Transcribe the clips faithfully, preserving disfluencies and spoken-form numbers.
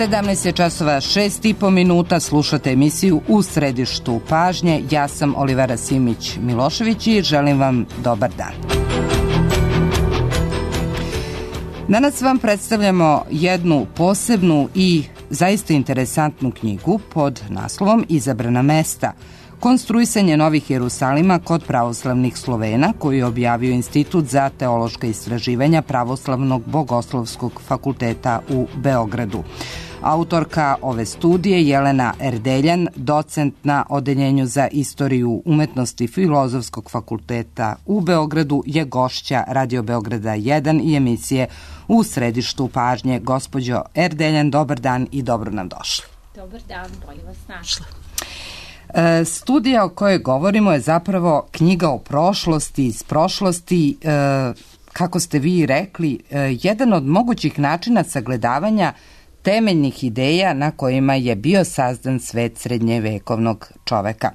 sedamnaest je časova šest i po minuta, slušate emisiju U središtu pažnje. Ja sam Olivera Simić-Milošević i želim vam dobar dan. Danas vam predstavljamo jednu posebnu i zaista interesantnu knjigu pod naslovom Izabrana mesta. Konstruisanje novih Jerusalima kod pravoslavnih Slovena, koju je objavio Institut za teološka istraživanja Pravoslavnog bogoslovskog fakulteta u Beogradu. Autorka ove studije, Jelena Erdeljan, docent na Odeljenju za istoriju umetnosti Filozofskog fakulteta u Beogradu, je gošća Radio Beograda jedan i emisije U središtu pažnje. Gospođo Erdeljan, dobar dan i dobro nam došli. Dobar dan, bolje vas našla. E, studija o kojoj govorimo je zapravo knjiga o prošlosti, iz prošlosti, e, kako ste vi rekli, e, jedan od mogućih načina sagledavanja temeljnih ideja na kojima je bio sazdan svet srednjevekovnog čoveka.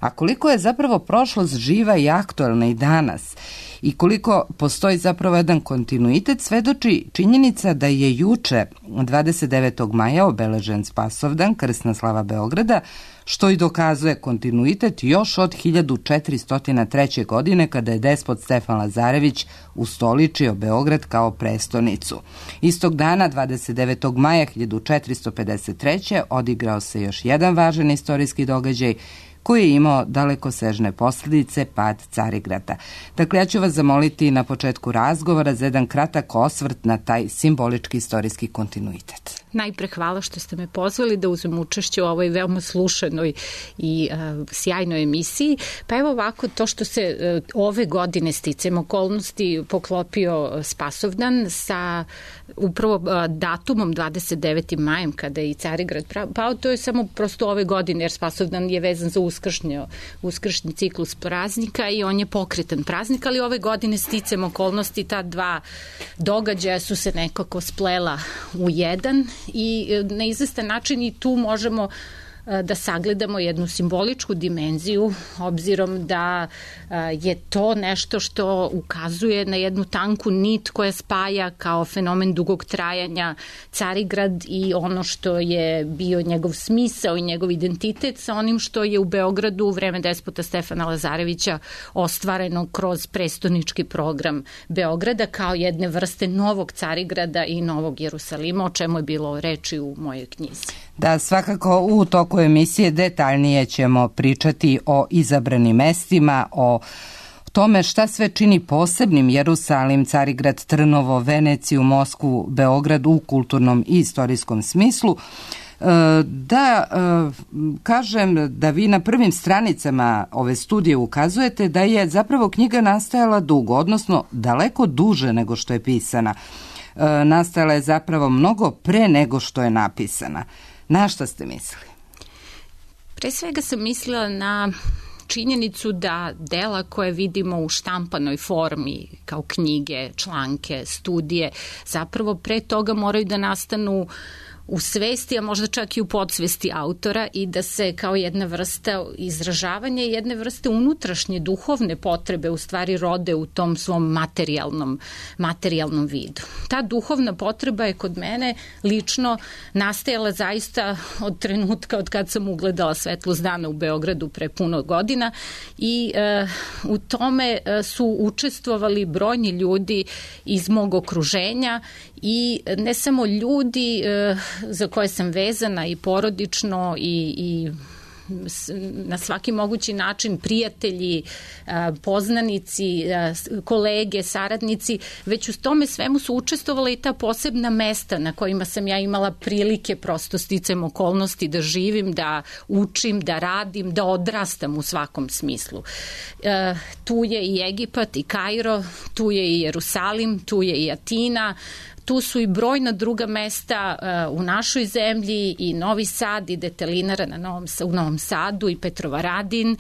A koliko je zapravo prošlost živa i aktuelna i danas i koliko postoji zapravo jedan kontinuitet, svedoči činjenica da je juče, dvadeset devetog maja, obeležen Spasovdan, krsna slava Beograda, što i dokazuje kontinuitet još od hiljadu četiristo treće. godine, kada je despot Stefan Lazarević ustoličio Beograd kao prestonicu. Istog dana, dvadeset devetog maja hiljadu četiristo pedeset treće. odigrao se još jedan važan istorijski događaj koji je imao dalekosežne posljedice, pad Carigrada. Dakle, ja ću vas zamoliti na početku razgovora za jedan kratak osvrt na taj simbolički istorijski kontinuitet. Najpre hvala što ste me pozvali da uzmem učešće u ovoj veoma slušanoj i uh, sjajnoj emisiji. Pa evo ovako, to što se uh, ove godine sticam okolnosti poklopio Spasovdan sa upravo uh, datumom dvadeset devetog majem kada je i Carigrad pao, to je samo prosto ove godine, jer Spasovdan je vezan za uskršnje, uskršnji ciklus praznika i on je pokretan praznik, ali ove godine sticam okolnosti, ta dva događaja su se nekako splela u jedan i na izvestan način i tu možemo da sagledamo jednu simboličku dimenziju, obzirom da je to nešto što ukazuje na jednu tanku nit koja spaja kao fenomen dugog trajanja Carigrad i ono što je bio njegov smisao i njegov identitet sa onim što je u Beogradu u vreme despota Stefana Lazarevića ostvareno kroz prestonički program Beograda kao jedne vrste novog Carigrada i novog Jerusalima, o čemu je bilo reči u mojoj knjizi. Da, svakako u toku emisije detaljnije ćemo pričati o izabranim mestima, o tome šta sve čini posebnim Jerusalim, Carigrad, Trnovo, Veneciju, Moskvu, Beograd u kulturnom i istorijskom smislu. Da kažem da vi na prvim stranicama ove studije ukazujete da je zapravo knjiga nastajala dugo, odnosno daleko duže nego što je pisana. Nastajala je zapravo mnogo pre nego što je napisana. Na šta ste mislili? Pre svega sam mislila na činjenicu da dela koje vidimo u štampanoj formi, kao knjige, članke, studije, zapravo pre toga moraju da nastanu u svesti, a možda čak i u podsvesti autora i da se kao jedna vrsta izražavanja i jedne vrste unutrašnje duhovne potrebe u stvari rode u tom svom materijalnom, materijalnom vidu. Ta duhovna potreba je kod mene lično nastajala zaista od trenutka od kad sam ugledala svetlost dana u Beogradu pre puno godina i e, u tome su učestvovali brojni ljudi iz mog okruženja i ne samo ljudi e, za koje sam vezana i porodično i, i na svaki mogući način prijatelji, poznanici, kolege, saradnici, već u tome svemu su učestvovala i ta posebna mesta na kojima sam ja imala prilike prosto sticajem okolnosti da živim, da učim, da radim, da odrastam u svakom smislu. Tu je i Egipat i Kairo, tu je i Jerusalim, tu je i Atina, tu su i brojna druga mesta uh, u našoj zemlji i Novi Sad i Detelinara na Novom, u Novom Sadu i Petrovaradin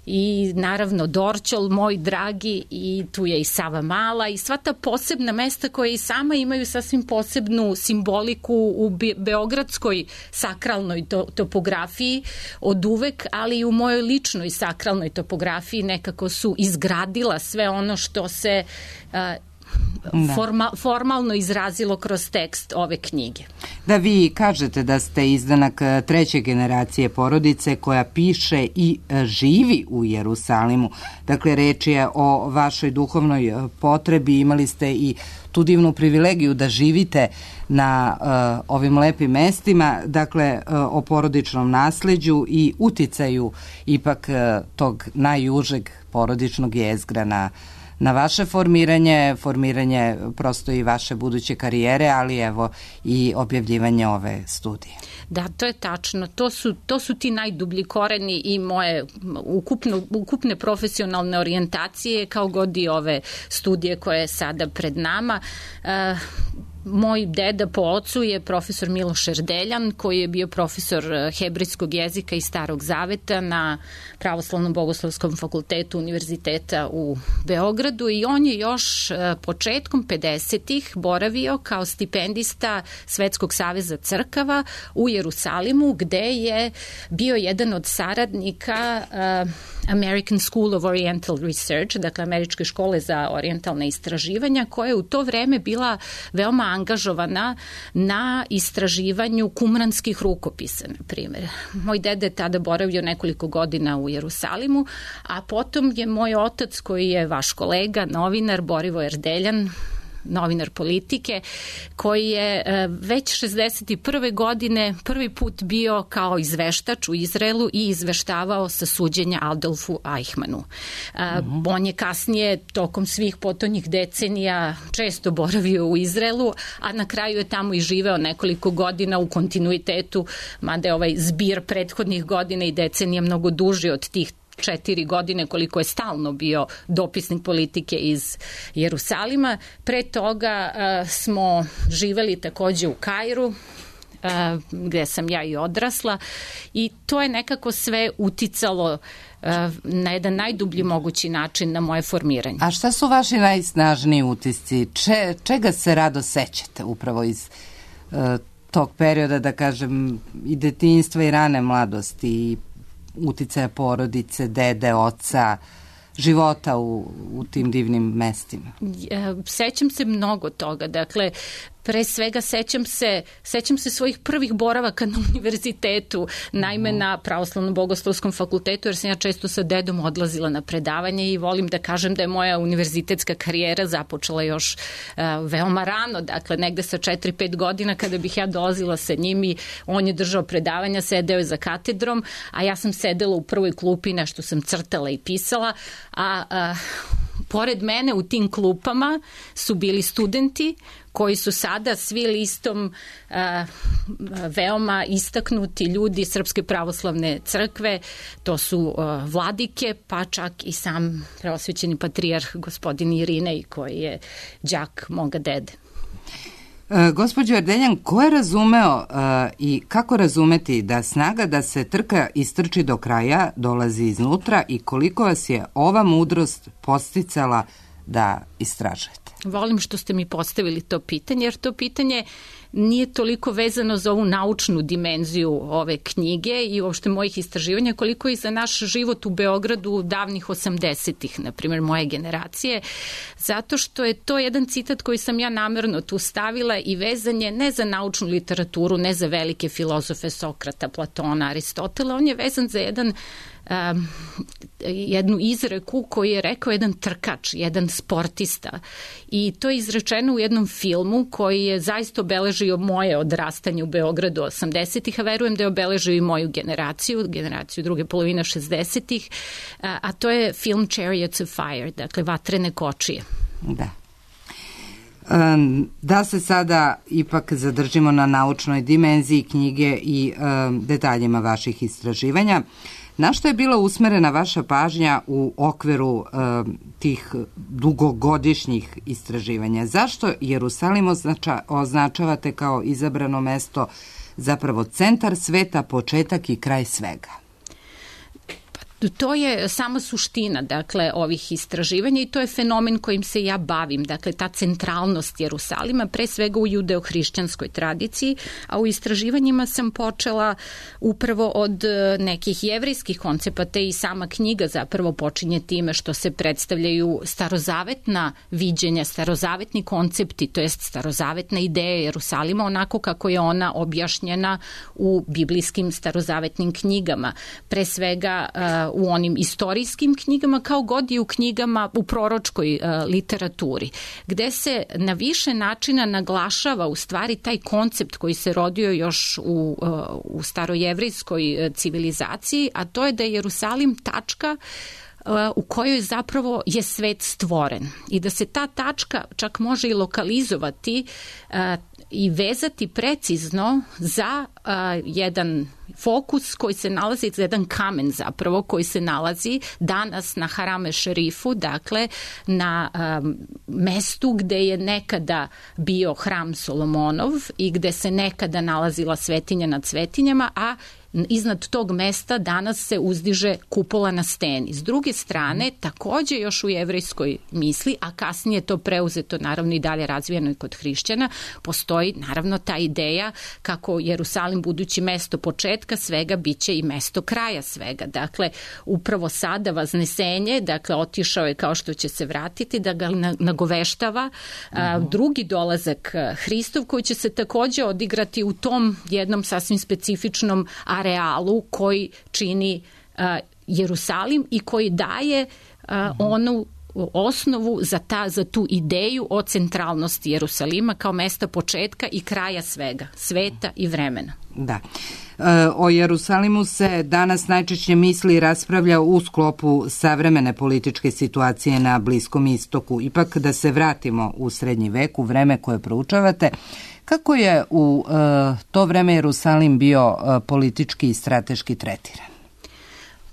i naravno Dorćol, moj dragi, i tu je i Sava Mala i sva ta posebna mesta koje i sama imaju sasvim posebnu simboliku u be- beogradskoj sakralnoj to- topografiji od uvek, ali i u mojoj ličnoj sakralnoj topografiji nekako su izgradila sve ono što se uh, da. forma, formalno izrazilo kroz tekst ove knjige. Da, vi kažete da ste izdanak treće generacije porodice koja piše i živi u Jerusalimu. Dakle, reč je o vašoj duhovnoj potrebi. Imali ste i tu divnu privilegiju da živite na uh, ovim lepim mestima, dakle uh, o porodičnom nasleđu i uticaju ipak uh, tog najužeg porodičnog jezgra na, na vaše formiranje, formiranje prosto i vaše buduće karijere, ali evo i objavljivanje ove studije. Da, to je tačno. To su, to su ti najdublji koreni i moje ukupno, ukupne profesionalne orijentacije, kao god i ove studije koje je sada pred nama. Uh, Moj deda po ocu je profesor Miloš Erdeljan, koji je bio profesor hebrejskog jezika i Starog zaveta na Pravoslavnom bogoslovskom fakultetu Univerziteta u Beogradu i on je još početkom pedesetih boravio kao stipendista Svetskog saveza crkava u Jerusalimu, gde je bio jedan od saradnika uh, American School of Oriental Research, dakle Američke škole za orijentalne istraživanja, koja je u to vreme bila veoma angažovana na istraživanju kumranskih rukopisa, na primjer. Moj deda je tada boravio nekoliko godina u Jerusalimu, a potom je moj otac, koji je vaš kolega, novinar Borivo Erdeljan, novinar Politike, koji je već šezdeset prve godine prvi put bio kao izveštač u Izraelu i izveštavao sa suđenja Adolfu Eichmannu. Uh-huh. On je kasnije, tokom svih potonjih decenija, često boravio u Izraelu, a na kraju je tamo i živeo nekoliko godina u kontinuitetu, mada je ovaj zbir prethodnih godina i decenija mnogo duži od tih četiri godine koliko je stalno bio dopisnik Politike iz Jerusalima. Pre toga uh, smo živeli takođe u Kairu, uh, gde sam ja i odrasla, i to je nekako sve uticalo uh, na jedan najdublji mogući način na moje formiranje. A šta su vaši najsnažniji utisci? Če, čega se rado sećate upravo iz uh, tog perioda, da kažem, i detinjstva i rane mladosti i uticaja porodice, dede, oca, života u, u tim divnim mestima? Sećam se mnogo toga. Dakle, pre svega sećam se, sećam se svojih prvih boravaka na univerzitetu, naime na Pravoslavnom bogoslovskom fakultetu, jer sam ja često sa dedom odlazila na predavanje i volim da kažem da je moja univerzitetska karijera započela još uh, veoma rano, dakle negde sa četiri pet godina kada bih ja dolazila sa njim i on je držao predavanja, sedeo je za katedrom, a ja sam sedela u prvoj klupi, nešto sam crtala i pisala, a uh, pored mene u tim klupama su bili studenti koji su sada svi listom uh, veoma istaknuti ljudi Srpske pravoslavne crkve, to su uh, vladike, pa čak i sam preosvećeni patrijarh gospodin Irinej, koji je đak moga dede. E, gospođo Erdeljan, ko je razumeo uh, i kako razumeti da snaga da se trka istrči do kraja dolazi iznutra i koliko vas je ova mudrost posticala da istražujete? Volim što ste mi postavili to pitanje, jer to pitanje nije toliko vezano za ovu naučnu dimenziju ove knjige i uopšte mojih istraživanja, koliko i za naš život u Beogradu davnih osamdesetih, na primjer moje generacije, zato što je to jedan citat koji sam ja namerno tu stavila i vezan je ne za naučnu literaturu, ne za velike filozofe Sokrata, Platona, Aristotela, on je vezan za jedan Um, jednu izreku koju je rekao jedan trkač, jedan sportista, i to je izrečeno u jednom filmu koji je zaista obeležio moje odrastanje u Beogradu osamdesetih, a verujem da je obeležio i moju generaciju, generaciju druge polovine šezdesetih, a, a to je film Chariots of Fire, dakle Vatrene kočije. Da. Um, da se sada ipak zadržimo na naučnoj dimenziji knjige i um, detaljima vaših istraživanja. Na što je bila usmerena vaša pažnja u okviru um, tih dugogodišnjih istraživanja? Zašto Jerusalim označa, označavate kao izabrano mesto, zapravo centar sveta, početak i kraj svega? To je sama suština, dakle, ovih istraživanja i to je fenomen kojim se ja bavim, dakle, ta centralnost Jerusalima, pre svega u judeo-hrišćanskoj tradiciji, a u istraživanjima sam počela upravo od nekih jevrejskih koncepata i sama knjiga zapravo počinje time što se predstavljaju starozavetna viđenja, starozavetni koncepti, to jest starozavetna ideja Jerusalima, onako kako je ona objašnjena u biblijskim starozavetnim knjigama, pre svega u onim istorijskim knjigama, kao god i u knjigama u proročkoj uh, literaturi, gde se na više načina naglašava u stvari taj koncept koji se rodio još u, uh, u starojevrijskoj civilizaciji, a to je da je Jerusalim tačka u kojoj zapravo je svet stvoren i da se ta tačka čak može i lokalizovati uh, i vezati precizno za uh, jedan fokus koji se nalazi, za jedan kamen zapravo koji se nalazi danas na Harame Šerifu, dakle na um, mestu gde je nekada bio hram Solomonov i gde se nekada nalazila svetinja nad svetinjama, a iznad tog mesta danas se uzdiže kupola na steni. S druge strane, takođe još u jevrejskoj misli, a kasnije to preuzeto naravno i dalje razvijeno i kod hrišćana, postoji naravno ta ideja kako Jerusalim budući mesto početka svega biće i mesto kraja svega. Dakle, upravo sada Vaznesenje, dakle, otišao je kao što će se vratiti, da ga nagoveštava a, drugi dolazak Hristov koji će se takođe odigrati u tom jednom sasvim specifičnom arealu koji čini uh, Jerusalim i koji daje uh, onu osnovu za, ta, za tu ideju o centralnosti Jerusalima kao mesta početka i kraja svega, sveta i vremena. Da. O Jerusalimu se danas najčešće misli i raspravlja u sklopu savremene političke situacije na Bliskom istoku. Ipak da se vratimo u srednji vek, u vreme koje proučavate, kako je u uh, to vreme Jerusalim bio uh, politički i strateški tretiran?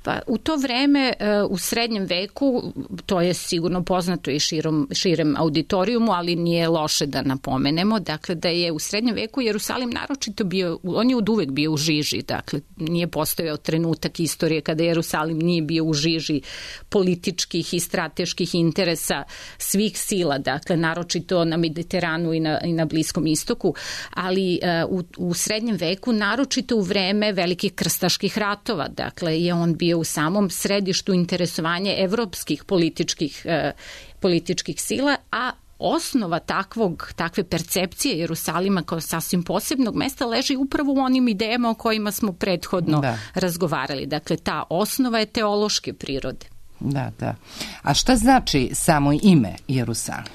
Pa u to vreme u srednjem veku, to je sigurno poznato i širom, širem auditorijumu, ali nije loše da napomenemo, dakle da je u srednjem veku Jerusalim naročito bio, on je od uvek bio u žiži, dakle nije postojao trenutak istorije kada Jerusalim nije bio u žiži političkih i strateških interesa svih sila, dakle naročito na Mediteranu i na, i na Bliskom istoku, ali uh, u, u srednjem veku, naročito u vreme velikih krstaških ratova, dakle je on bio u samom središtu interesovanja evropskih političkih, eh, političkih sila, a osnova takvog, takve percepcije Jerusalima kao sasvim posebnog mesta leži upravo u onim idejama o kojima smo prethodno da. razgovarali. Dakle, ta osnova je teološke prirode. Da, da. A šta znači samo ime Jerusalim?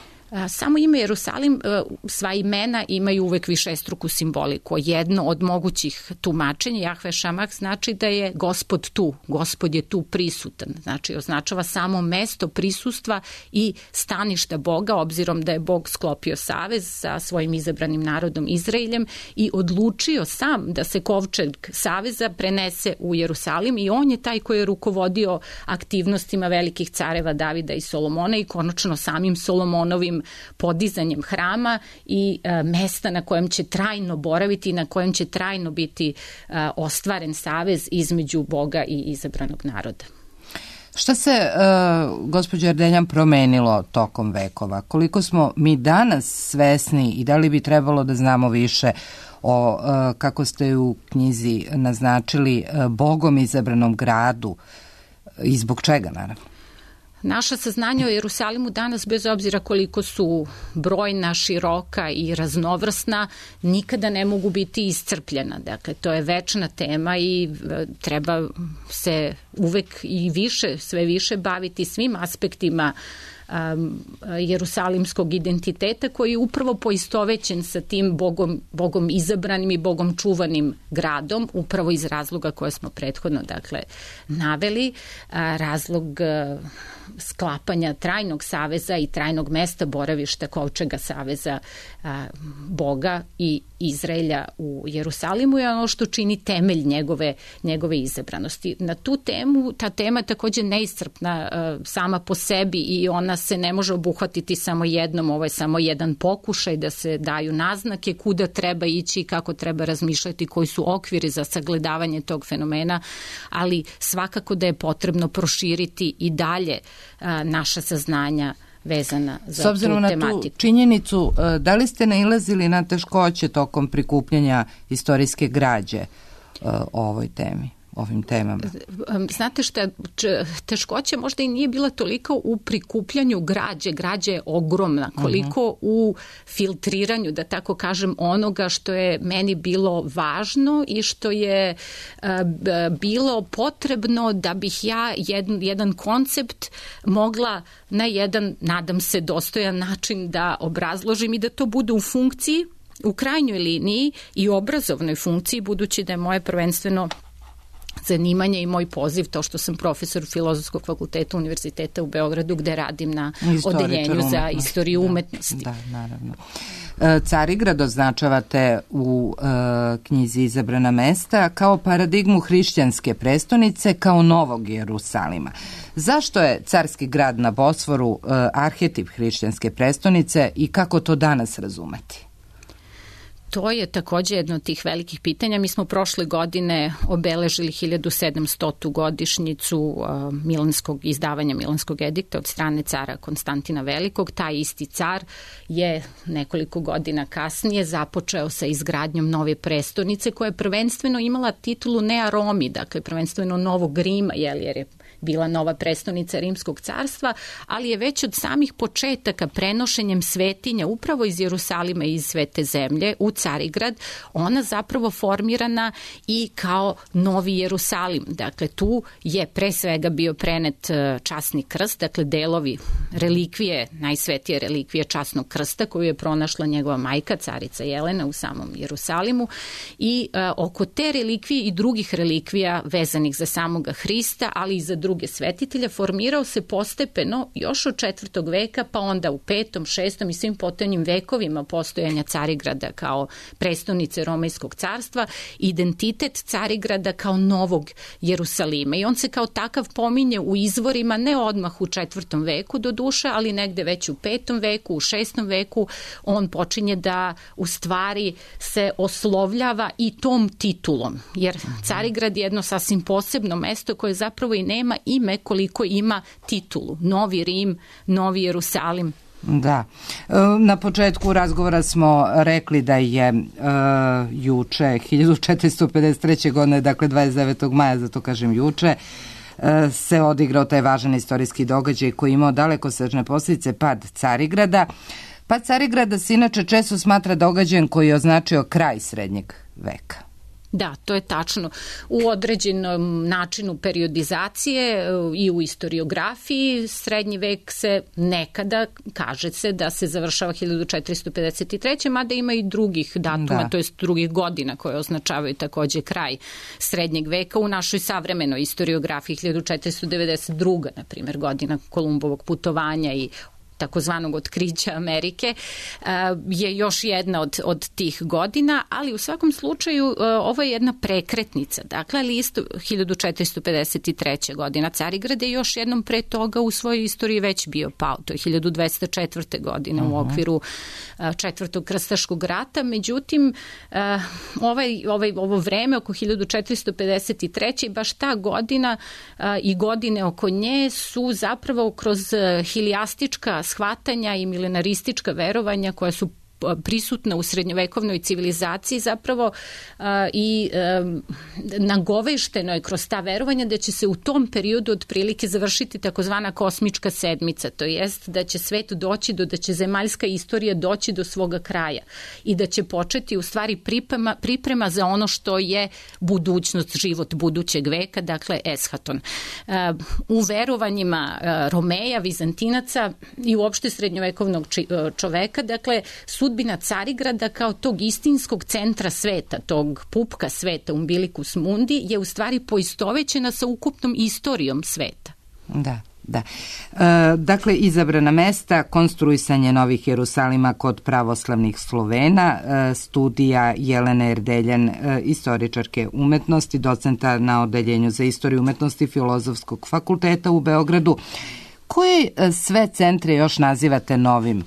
Samo ime Jerusalim, sva imena imaju uvek višestruku simboliku. Jedno od mogućih tumačenja Jahve Šamah znači da je Gospod tu, Gospod je tu prisutan. Znači označava samo mesto prisustva i staništa Boga, obzirom da je Bog sklopio savez sa svojim izabranim narodom Izraeljem i odlučio sam da se kovčeg saveza prenese u Jerusalim i on je taj koji je rukovodio aktivnostima velikih careva Davida i Solomona i konačno samim Solomonovim podizanjem hrama i e, mesta na kojem će trajno boraviti i na kojem će trajno biti e, ostvaren savez između Boga i izabranog naroda. Šta se, e, gospođo Erdeljan, promenilo tokom vekova? Koliko smo mi danas svesni i da li bi trebalo da znamo više o, e, kako ste u knjizi naznačili, e, Bogom izabranom gradu i zbog čega, naravno? Naša saznanja o Jerusalimu danas, bez obzira koliko su brojna, široka i raznovrsna, nikada ne mogu biti iscrpljena. Dakle, to je večna tema i treba se uvek i više, sve više baviti svim aspektima um, jerusalimskog identiteta koji je upravo poistovećen sa tim Bogom, Bogom izabranim i Bogom čuvanim gradom, upravo iz razloga koje smo prethodno dakle, naveli. A, razlog a, sklapanja trajnog saveza i trajnog mesta boravišta kovčega saveza a, Boga i Izraelja u Jerusalimu je ono što čini temelj njegove, njegove izabranosti. Na tu temu, ta tema je takođe neiscrpna a, sama po sebi i ona fenomena se ne može obuhvatiti samo jednom, ovo je samo jedan pokušaj da se daju naznake kuda treba ići i kako treba razmišljati, koji su okviri za sagledavanje tog fenomena, ali svakako da je potrebno proširiti i dalje a, naša saznanja vezana za tu tematiku. S obzirom na tu činjenicu, da li ste nailazili na teškoće tokom prikupljanja istorijske građe o ovoj temi? ovim temama? Znate šta, teškoća možda i nije bila toliko u prikupljanju građe, građe je ogromna, koliko uh-huh. u filtriranju, da tako kažem, onoga što je meni bilo važno i što je uh, bilo potrebno da bih ja jedan, jedan koncept mogla na jedan, nadam se, dostojan način da obrazložim i da to bude u funkciji, u krajnjoj liniji i obrazovnoj funkciji, budući da je moje prvenstveno zanimanje i moj poziv to što sam profesor Filozofskog fakulteta Univerziteta u Beogradu, gde radim na odeljenju za istoriju umetnosti. Da, da, naravno. Carigrad označavate u uh, knjizi Izabrana mesta kao paradigmu hrišćanske prestonice, kao novog Jerusalima. Zašto je carski grad na Bosforu uh, arhetip hrišćanske prestonice i kako to danas razumeti? To je takođe jedno od tih velikih pitanja. Mi smo prošle godine obeležili hiljadu sedamstotu godišnjicu uh, Milanskog izdavanja Milanskog edikta od strane cara Konstantina Velikog. Taj isti car je nekoliko godina kasnije započeo sa izgradnjom nove prestonice koja je prvenstveno imala titulu Nea Romi, dakle prvenstveno Novog Rima, jel, jer je bila nova prestonica Rimskog carstva, ali je već od samih početaka prenošenjem svetinja upravo iz Jerusalima i iz Svete zemlje u Carigrad, ona zapravo formirana i kao Novi Jerusalim. Dakle, tu je pre svega bio prenet časni krst, dakle delovi relikvije, najsvetije relikvije časnog krsta koju je pronašla njegova majka, carica Jelena u samom Jerusalimu, i a, oko te relikvije i drugih relikvija vezanih za samoga Hrista, ali i za druge svetitelja, formirao se postepeno još od četvrtog veka, pa onda u petom, šestom i svim potonjim vekovima postojanja Carigrada kao prestonice Romejskog carstva, identitet Carigrada kao novog Jerusalima. I on se kao takav pominje u izvorima, ne odmah u četvrtom veku do duše, ali negde već u petom veku, u šestom veku, on počinje da u stvari se oslovljava i tom titulom. Jer Carigrad je jedno sasvim posebno mesto koje zapravo i nema ime koliko ima titulu. Novi Rim, Novi Jerusalim. Da. Na početku razgovora smo rekli da je uh, juče, hiljadu četiristo pedeset treće. godine, dakle dvadeset devetog maja, zato kažem juče, uh, se odigrao taj važan istorijski događaj koji je imao dalekosežne posljedice, pad Carigrada. Pad Carigrada se inače često smatra događajem koji je označio kraj srednjeg veka. Da, to je tačno. U određenom načinu periodizacije i u istoriografiji srednji vek se nekada, kaže se da se završava hiljadu četiristo pedeset treće. mada ima i drugih datuma, da. to jest drugih godina koje označavaju takođe kraj srednjeg veka. U našoj savremenoj istoriografiji hiljadu četiristo devedeset druga. na primjer, godina Kolumbovog putovanja i takozvanog otkrića Amerike, je još jedna od, od tih godina, ali u svakom slučaju ovo je jedna prekretnica. Dakle, ali isto hiljadu četiristo pedeset treće. godina Carigrad je još jednom pre toga u svojoj istoriji već bio pao. To je hiljadu dvesta četvrte. godine uh-huh. u okviru četvrtog krstaškog rata. Međutim, ovaj, ovaj, ovo vreme oko hiljadu četiristo pedeset treće. i baš ta godina i godine oko nje su zapravo kroz hilijastička shvatanja i milenaristička verovanja koja su prisutna u srednjovekovnoj civilizaciji zapravo uh, i um, nagovešteno je kroz ta verovanja da će se u tom periodu otprilike završiti takozvana kosmička sedmica, to jest da će svet doći do, da će zemaljska istorija doći do svoga kraja i da će početi u stvari priprema, priprema za ono što je budućnost, život budućeg veka, dakle eshaton. Uh, u verovanjima uh, Romeja, Vizantinaca i uopšte srednjovekovnog či, uh, čoveka, dakle su sudbina Carigrada kao tog istinskog centra sveta, tog pupka sveta, umbilicus mundi, je u stvari poistovećena sa ukupnom istorijom sveta. Da. Da. E, dakle, izabrana mesta, konstruisanje novih Jerusalima kod pravoslavnih Slovena, e, studija Jelene Erdeljan, e, istoričarke umetnosti, docenta na odeljenju za istoriju umetnosti Filozofskog fakulteta u Beogradu. koje sve centre još nazivate Novim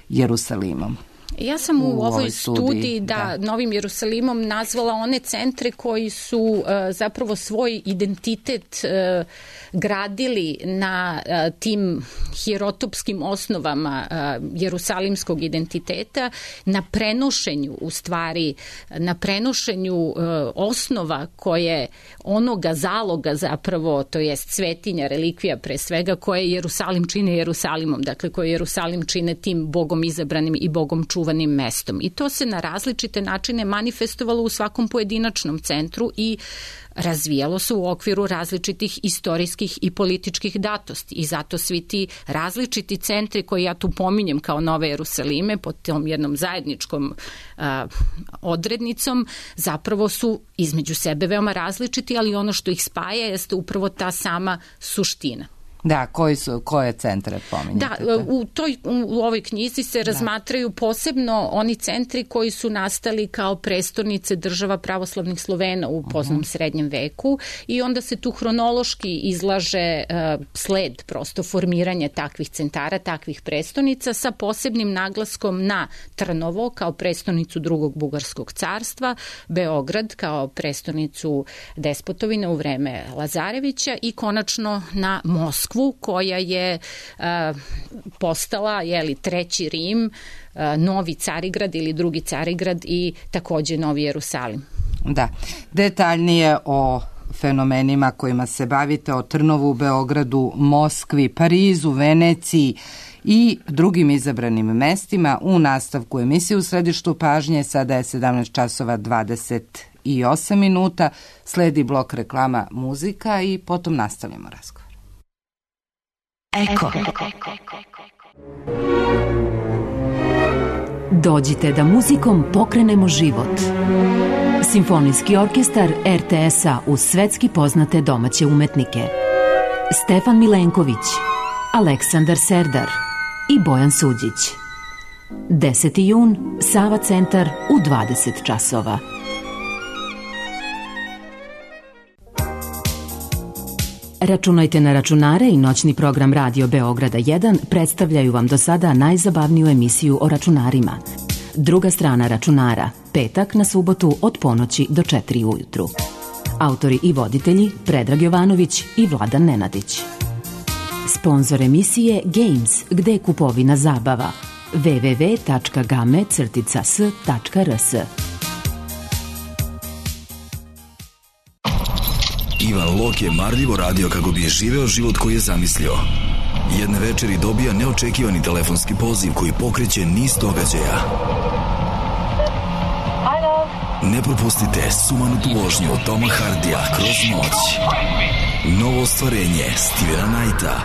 Jerusalimom? Ja sam u, u ovoj, ovoj studiji, studiji da, da. Novim Jerusalimom nazvala one centre koji su uh, zapravo svoj identitet uh, gradili na uh, tim hierotopskim osnovama uh, jerusalimskog identiteta, na prenošenju, u stvari, na prenošenju uh, osnova koje onoga zaloga zapravo, to jest svetinja, relikvija pre svega, koje Jerusalim čine Jerusalimom, dakle koje Jerusalim čine tim Bogom izabranim i Bogom čuvanim mestom. I to se na različite načine manifestovalo u svakom pojedinačnom centru i razvijalo se u okviru različitih istorijskih i političkih datosti. I zato svi ti različiti centri koji ja tu pominjem kao Nove Jerusalime pod tom jednom zajedničkom a, odrednicom zapravo su između sebe veoma različiti, ali ono što ih spaja jeste upravo ta sama suština. Da, koji su, koje centre pominjate? Da, u, toj, u ovoj knjizi se da. razmatraju posebno oni centri koji su nastali kao prestonice država pravoslavnih Slovena u poznom uh-huh. srednjem veku i onda se tu hronološki izlaže uh, sled prosto formiranja takvih centara, takvih prestonica sa posebnim naglaskom na Trnovo kao prestonicu drugog bugarskog carstva, Beograd kao prestonicu despotovine u vreme Lazarevića i konačno na Moskvu koja je uh, postala jeli, treći Rim, uh, novi Carigrad ili drugi Carigrad i takođe Novi Jerusalim. Da, detaljnije o fenomenima kojima se bavite, o Trnovu, Beogradu, Moskvi, Parizu, Veneciji i drugim izabranim mestima u nastavku emisije U središtu pažnje. Sada je sedamnaest časova dvadeset osam minuta, sledi blok reklama, muzika i potom nastavljamo razgovor. Eko. Dođite da muzikom pokrenemo život. Simfonijski orkestar er te es-a uz svetski poznate domaće umetnike. Stefan Milenković, Aleksandar Serdar i Bojan Suđić. deseti jun, Sava centar u dvadeset časova. Računajte na računare i noćni program Radio Beograda jedan predstavljaju vam do sada najzabavniju emisiju o računarima. Druga strana računara, petak na subotu od ponoći do četiri ujutru. Autori i voditelji Predrag Jovanović i Vladan Nenadić. Sponzor emisije Games, gde je kupovina zabava. w w w tačka game crtica s tačka r s. Ivan Lok je marljivo radio kako bi je živeo život koji je zamislio. Jedne večeri dobija neočekivani telefonski poziv koji pokreće niz događaja. Ne propustite sumanutu vožnju Toma Hardija kroz noć. Novo ostvarenje Stevena Knighta.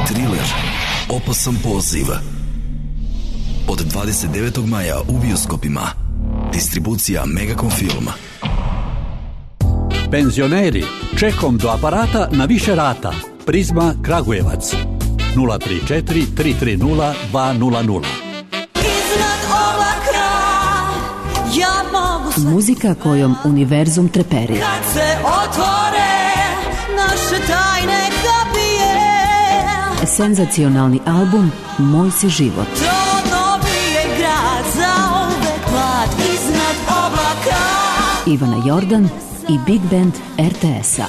Thriller Opasan poziv. Od dvadeset devetog maja u bioskopima. Distribucija Megacom Film. Penzioneri, čekom do aparata na više rata. Prizma Kragujevac. nula tri četiri tri tri nula dva nula nula. Muzika kojom univerzum treperi. Kad se otvore naše tajne kapije. Senzacionalni album Moj si život. To dobije grad za uvek mlad iznad oblaka. Ivana Jordan i Big Band er te es-a.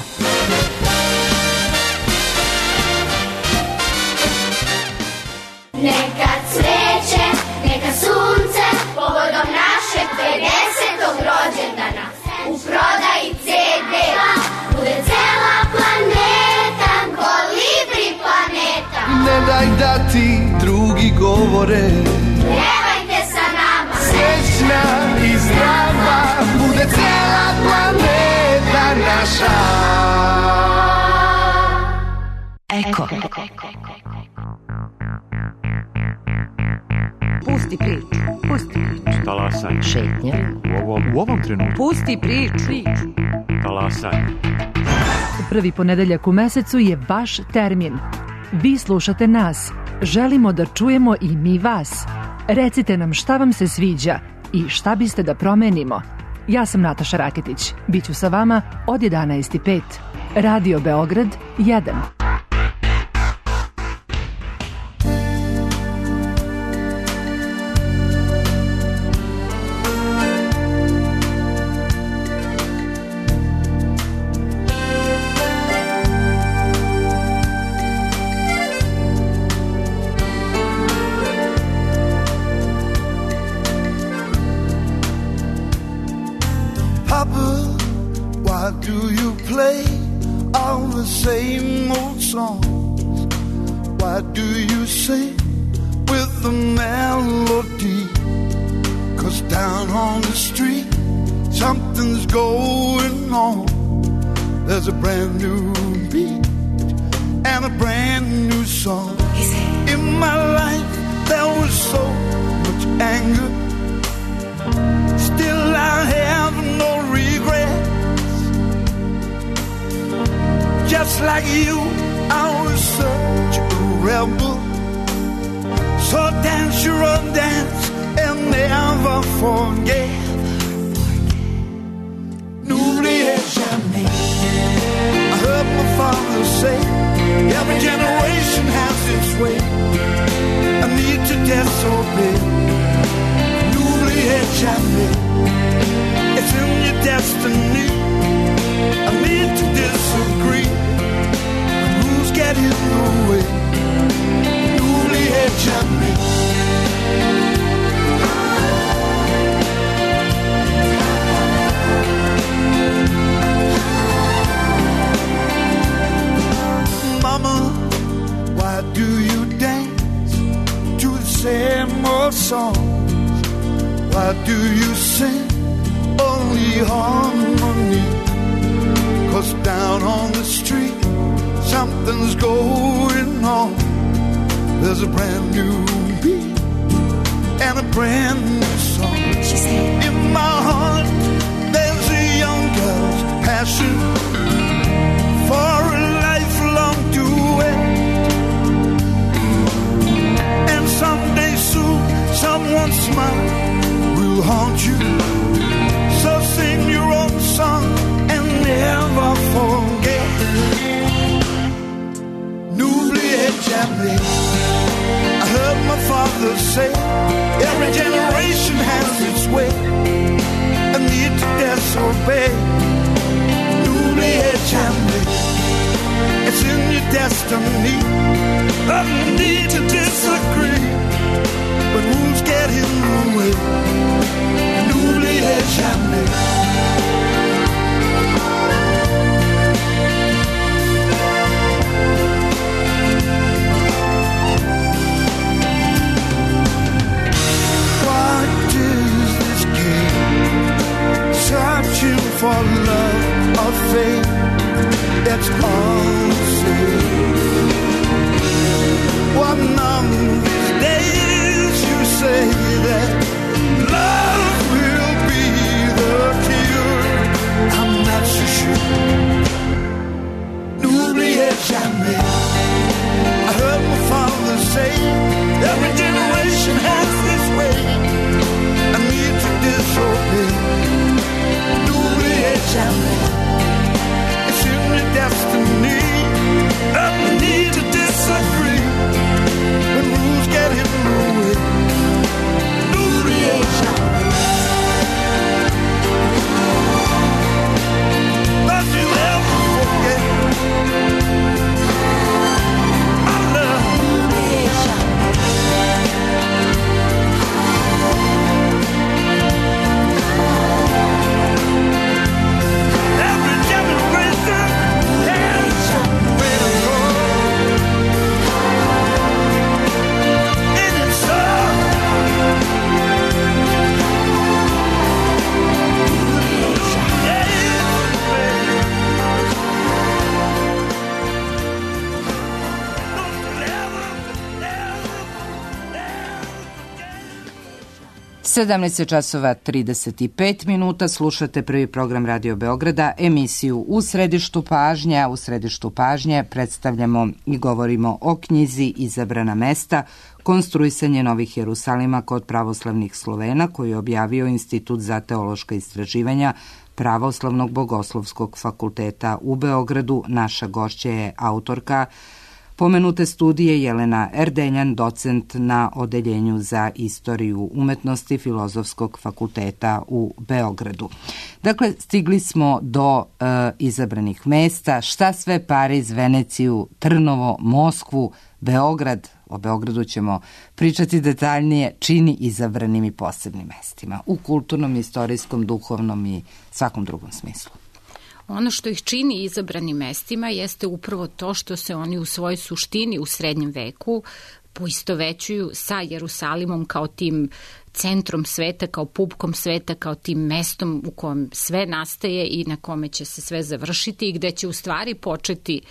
Neka cveće, neka sunce, povodom našeg pedesetog rođendana. U prodaji ce de bude cela planeta, Kolibri planeta. Ne daj da ti drugi govore, pevajte sa nama. Srećna i zdrava bude cela planeta naša. Eko. Pusti priču, pusti priču. Talasaj. Šetnja. U ovom, u ovom trenutku. Pusti priču. Talasaj. Prvi ponedeljak u mesecu je vaš termin. Vi slušate nas. Želimo da čujemo i mi vas. Recite nam šta vam se sviđa i šta biste da promenimo. Ja sam Nataša Raketić. Biću sa vama od jedanaest i pet. Radio Beograd jedan. play all the same old songs? Why do you sing with the melody? 'Cause down on the street something's going on. There's a brand new beat and a brand new song. In my life there was so much anger, still I have no regrets. Just like you, I was such a rebel. So dance your own dance and never forget. N'oubliez jamais. I heard my father say, every generation has its way. I need to disobey. N'oubliez jamais. It's in your destiny. I need to disagree. But rules get in the way. N'oubliez jamais. Mama, why do you dance to the same old songs? Why do you sing only harmony? 'Cause down on the street something's going on. There's a brand new beat and a brand new song. She said, in my heart there's a young girl's passion for a lifelong duet. And someday soon someone's smile will haunt you. So sing your own song and never forget. N'oubliez jamais. I heard my father say, every generation has its way. I need to disobey. N'oubliez jamais. It's in your destiny. I need to disagree, but rules get in the way. N'oubliez jamais. Searching for love or fate, that's all the same. One of these days you say that love will be the cure. I'm not so sure. N'oubliez jamais. I heard my father say, every generation has its way. I need to disobey. It's in your destiny. I need to disagree when rules get in the way. N'oubliez jamais. Don't you ever forget my love. N'oubliez jamais. sedamnaest časova trideset pet minuta, slušate prvi program Radio Beograda, emisiju U središtu pažnje. U središtu pažnje predstavljamo i govorimo o knjizi Izabrana mesta, konstruisanje Novih Jerusalima kod pravoslavnih Slovena, koju je objavio Institut za teološka istraživanja Pravoslavnog bogoslovskog fakulteta u Beogradu. Naša gošća je autorka pomenute studije Jelena Erdeljan, docent na Odeljenju za istoriju umetnosti Filozofskog fakulteta u Beogradu. Dakle, stigli smo do e, izabranih mesta. Šta sve Pariz, Veneciju, Trnovo, Moskvu, Beograd, o Beogradu ćemo pričati detaljnije, čini izabranim i posebnim mestima u kulturnom, istorijskom, duhovnom i svakom drugom smislu. Ono što ih čini izabranim mestima jeste upravo to što se oni u svojoj suštini u srednjem veku poistovećuju sa Jerusalimom kao tim centrom sveta, kao pupkom sveta, kao tim mestom u kojem sve nastaje i na kome će se sve završiti i gde će u stvari početi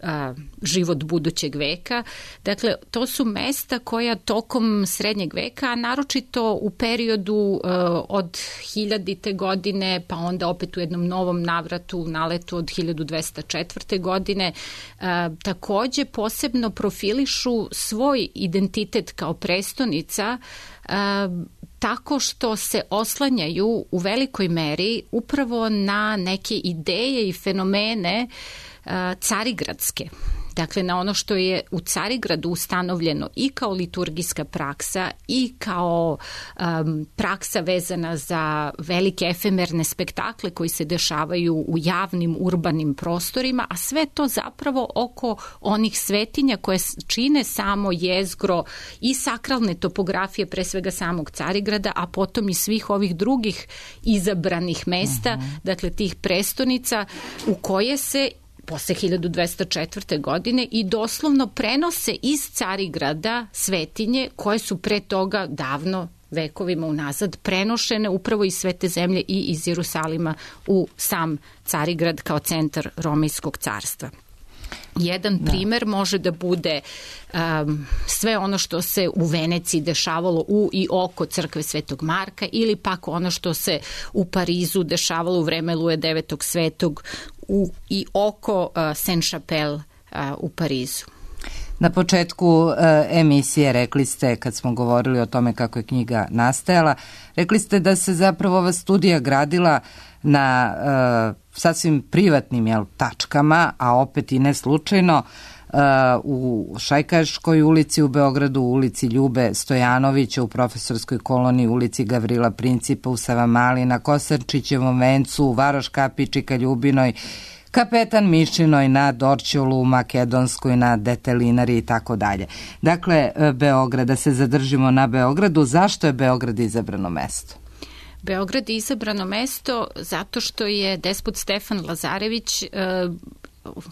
a, život budućeg veka. Dakle, to su mesta koja tokom srednjeg veka, a naročito u periodu a, od hiljadite godine, pa onda opet u jednom novom navratu, u naletu od hiljadu dvesta četvrte. godine, a, takođe posebno profilišu svoj identitet kao prestonica a, tako što se oslanjaju u velikoj meri upravo na neke ideje i fenomene carigradske. Dakle, na ono što je u Carigradu ustanovljeno i kao liturgijska praksa i kao um, praksa vezana za velike efemerne spektakle koji se dešavaju u javnim urbanim prostorima, a sve to zapravo oko onih svetinja koje čine samo jezgro i sakralne topografije, pre svega samog Carigrada, a potom i svih ovih drugih izabranih mesta, uh-huh. dakle tih prestonica u koje se posle hiljadu dvesta četvrte. godine i doslovno prenose iz Carigrada svetinje koje su pre toga davno vekovima unazad prenošene upravo iz Svete zemlje i iz Jerusalima u sam Carigrad kao centar Romejskog carstva. Jedan da. primer može da bude um, sve ono što se u Veneciji dešavalo u i oko crkve Svetog Marka ili pak ono što se u Parizu dešavalo u vreme Luje devetog Svetog u i oko uh, Saint-Chapelle uh, u Parizu. Na početku uh, emisije rekli ste, kad smo govorili o tome kako je knjiga nastajala, rekli ste da se zapravo ova studija gradila na uh, sasvim privatnim jel, tačkama, a opet i ne slučajno, uh, u Šajkaškoj ulici u Beogradu, u ulici Ljube Stojanovića, u Profesorskoj koloniji, u ulici Gavrila Principa, u Savamali, na Kosarčićevom vencu, u Varoš Kapići, Kaljubinoj, Kapetan Mišinoj, na Dorćolu, u Makedonskoj, na Detelinari i tako dalje. Dakle, Beograd, da se zadržimo na Beogradu, zašto je Beograd izabrano mesto? Beograd je izabrano mesto zato što je despot Stefan Lazarević e,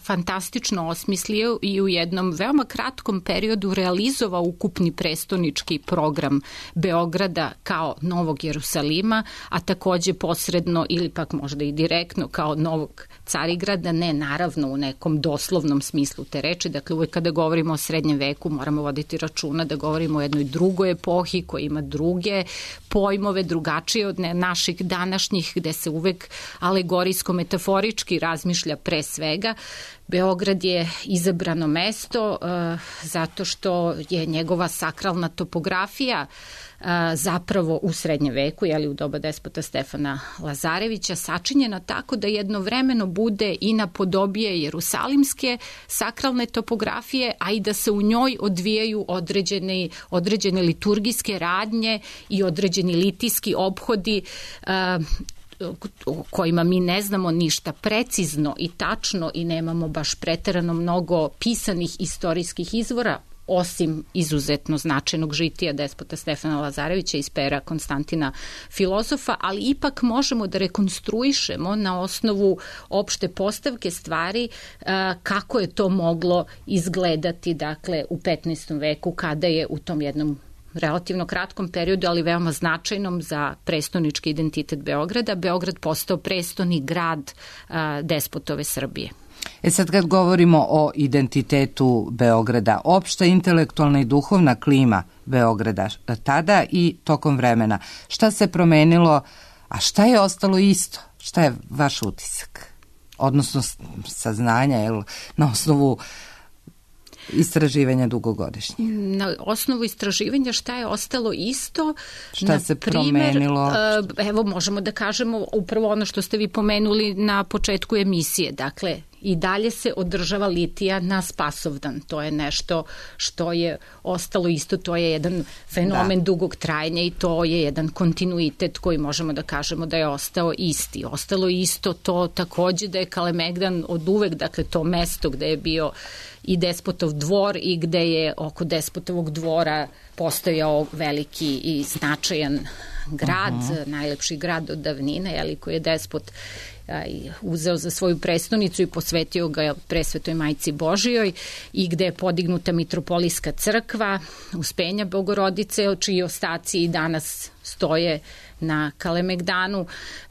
fantastično osmislio i u jednom veoma kratkom periodu realizovao ukupni prestonički program Beograda kao Novog Jerusalima, a takođe posredno ili pak možda i direktno kao Novog Carigrada, ne naravno u nekom doslovnom smislu te reči. Dakle, uvek kada govorimo o srednjem veku moramo voditi računa da govorimo o jednoj drugoj epohi koja ima druge pojmove, drugačije od naših današnjih, gde se uvek alegorijsko-metaforički razmišlja pre svega. Beograd je izabrano mesto uh, zato što je njegova sakralna topografija uh, zapravo u srednjem veku, jeli u doba despota Stefana Lazarevića, sačinjena tako da jednovremeno bude i napodobije jerusalimske sakralne topografije, a i da se u njoj odvijaju određene, određene liturgijske radnje i određeni litijski ophodi uh, o kojima mi ne znamo ništa precizno i tačno i nemamo baš preterano mnogo pisanih istorijskih izvora, osim izuzetno značajnog žitija despota Stefana Lazarevića iz pera Konstantina filozofa, ali ipak možemo da rekonstruišemo na osnovu opšte postavke stvari kako je to moglo izgledati, dakle, u petnaestom veku, kada je u tom jednom relativno kratkom periodu, ali veoma značajnom za prestonički identitet Beograda, Beograd postao prestoni grad a, despotove Srbije. E sad kad govorimo o identitetu Beograda, opšta intelektualna i duhovna klima Beograda tada i tokom vremena, šta se promenilo, a šta je ostalo isto? Šta je vaš utisak? Odnosno saznanja, jel, na osnovu istraživanja dugogodišnje. Na osnovu istraživanja šta je ostalo isto? Šta se promenilo? Evo, možemo da kažemo upravo ono što ste vi pomenuli na početku emisije. Dakle, i dalje se održava litija na Spasovdan. To je nešto što je ostalo isto, to je jedan fenomen da. dugog trajanja i to je jedan kontinuitet koji možemo da kažemo da je ostao isti. Ostalo isto to takođe da je Kalemegdan od uvek, dakle to mesto gde je bio i despotov dvor i gde je oko despotovog dvora postojao veliki i značajan grad, uh-huh. najlepši grad od davnine, jeli, koji je despot uzeo za svoju prestonicu i posvetio ga Presvetoj Majci Božijoj i gde je podignuta mitropolijska crkva Uspenja Bogorodice, čiji ostaci i danas stoje na Kalemegdanu.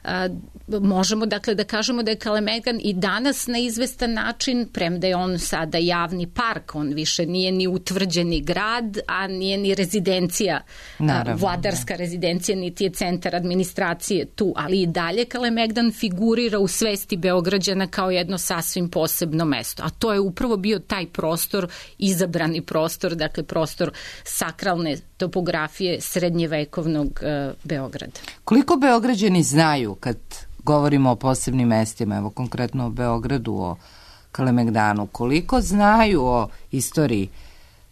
A, možemo dakle da kažemo da je Kalemegdan i danas na izvestan način, premda je on sada javni park, on više nije ni utvrđeni grad, a nije ni rezidencija, Naravno, a, vladarska da. rezidencija, niti je centar administracije tu, ali i dalje Kalemegdan figurira u svesti Beograđana kao jedno sasvim posebno mesto, a to je upravo bio taj prostor, izabrani prostor, dakle prostor sakralne topografije srednjevekovnog uh, Beograda. Koliko Beograđani znaju kad govorimo o posebnim mestima, evo konkretno o Beogradu, o Kalemegdanu, koliko znaju o istoriji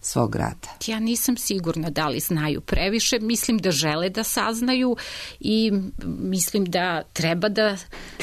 svog grada? Ja nisam sigurna da li znaju previše, mislim da žele da saznaju i mislim da treba da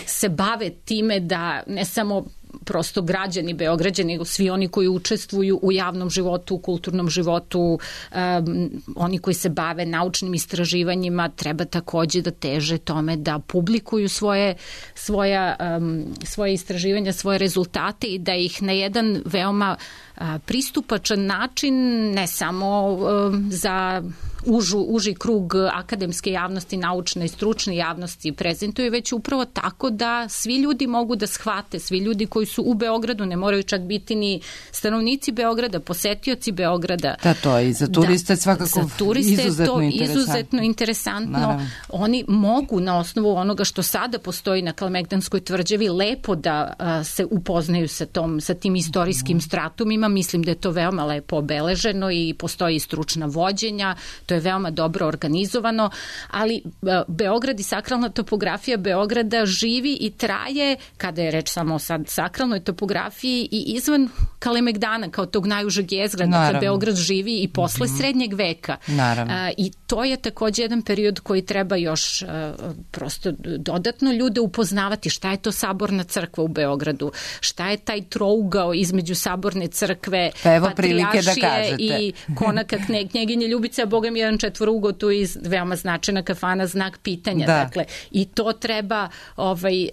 se bave time da ne samo prosto građani Beograđani, nego svi oni koji učestvuju u javnom životu, u kulturnom životu, um, oni koji se bave naučnim istraživanjima, treba takođe da teže tome da publikuju svoje, svoja, um, svoje istraživanja, svoje rezultate i da ih na jedan veoma a, pristupačan način, ne samo um, za užu, uži krug akademske javnosti, naučne i stručne javnosti prezentuje, već upravo tako da svi ljudi mogu da shvate, svi ljudi koji su u Beogradu, ne moraju čak biti ni stanovnici Beograda, posetioci Beograda. Da, to je i za turiste da, svakako za turiste izuzetno je to interesantno. izuzetno interesantno. Naravno. Oni mogu na osnovu onoga što sada postoji na Kalemegdanskoj tvrđavi lepo da a, se upoznaju sa, tom, sa tim istorijskim stratumima. Mislim da je to veoma lepo obeleženo i postoji stručna vođenja, to je veoma dobro organizovano, ali a, Beograd i sakralna topografija Beograda živi i traje, kada je reč samo o sad sakralnoj topografiji, i izvan Kalemegdana kao tog najužeg jezgra, dakle Beograd živi i posle mm-hmm. srednjeg veka. A, I to je takođe jedan period koji treba još a, prosto dodatno ljude upoznavati. Šta je to Saborna crkva u Beogradu? Šta je taj trougao između Saborne crkve, pa Patrijaršije i konaka knjeginje Ljubice, a Boga mi jedan četvorougo tu i veoma značajna kafana, znak pitanja. Da. Dakle, i to treba ovaj,